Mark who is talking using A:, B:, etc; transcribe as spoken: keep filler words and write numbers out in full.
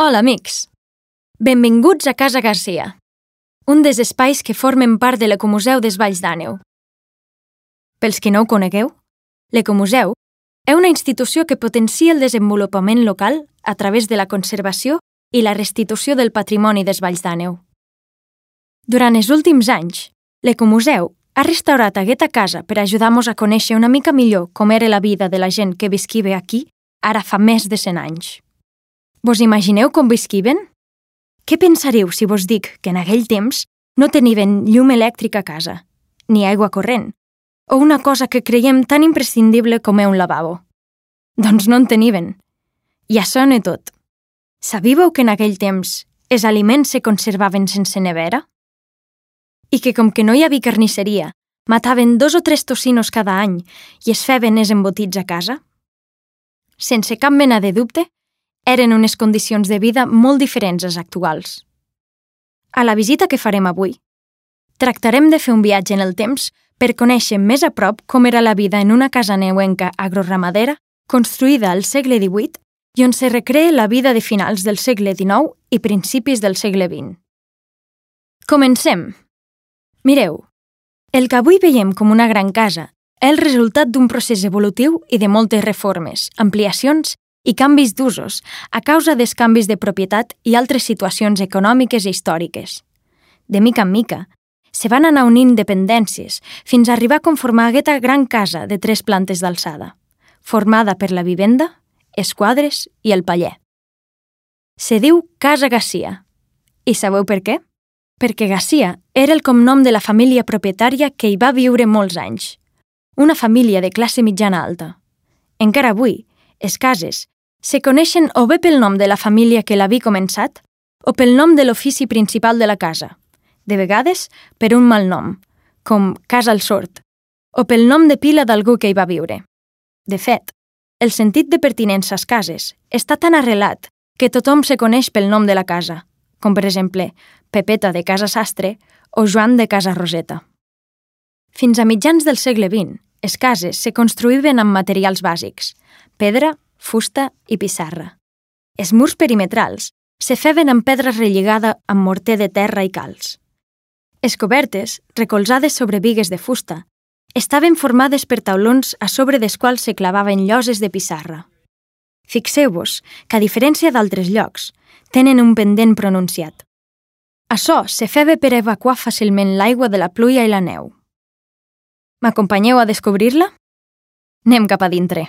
A: Hola, amics! Benvinguts a Casa Garcia, un dels espais que formen part de l'Ecomuseu des Valls d'Àneu. Pels que no ho conegueu, l'Ecomuseu és una institució que potencia el desenvolupament local a través de la conservació i la restitució del patrimoni des Valls d'Àneu. Durant els últims anys, l'Ecomuseu ha restaurat aquesta casa per ajudar-nos a conèixer una mica millor com era la vida de la gent que visquiva aquí ara fa més de cent anys. Vos imagineu com visquiven? Què pensaríeu si vos dic que en aquell temps no tenien llum elèctrica a casa, ni aigua corrent, o una cosa que creiem tan imprescindible com és un lavabo? Doncs no en tenien. I això no és tot. Sabíeu que en aquell temps els aliments se conservaven sense nevera? I que com que no hi havia carnisseria, mataven dos o tres tocinos cada any i es feien els embotits a casa? Sense cap mena de dubte, eren unes condicions de vida molt diferents als actuals. A la visita que farem avui, tractarem de fer un viatge en el temps per conèixer més a prop com era la vida en una casa neuenca agroramadera construïda al segle divuit i on se recrea la vida de finals del segle dinou i principis del segle vint. Comencem! Mireu, el que avui veiem com una gran casa és el resultat d'un procés evolutiu i de moltes reformes, ampliacions i canvis d'usos a causa dels canvis de propietat i altres situacions econòmiques i històriques. De mica en mica, se van anar unint dependències fins a arribar a conformar aquesta gran casa de tres plantes d'alçada, formada per la vivenda, els quadres i el paller. Se diu Casa Garcia. I sabeu per què? Perquè Garcia era el cognom de la família propietària que hi va viure molts anys, una família de classe mitjana alta. Encara avui, les cases se coneixen o bé pel nom de la família que l'havia començat o pel nom de l'ofici principal de la casa, de vegades per un mal nom, com Casa al Sord, o pel nom de pila d'algú que hi va viure. De fet, el sentit de pertinença a les cases està tan arrelat que tothom se coneix pel nom de la casa, com per exemple Pepeta de Casa Sastre o Joan de Casa Roseta. Fins a mitjans del segle vint, les cases se construïen amb materials bàsics, pedra, fusta i pissarra. Els murs perimetrals se feien amb pedra relligada amb morter de terra i calç. Les cobertes, recolzades sobre bigues de fusta, estaven formades per taulons a sobre dels quals se clavaven lloses de pissarra. Fixeu-vos que, a diferència d'altres llocs, tenen un pendent pronunciat. Això se feia per evacuar fàcilment l'aigua de la pluja i la neu. M'acompanyeu a descobrir-la? Anem cap a dintre.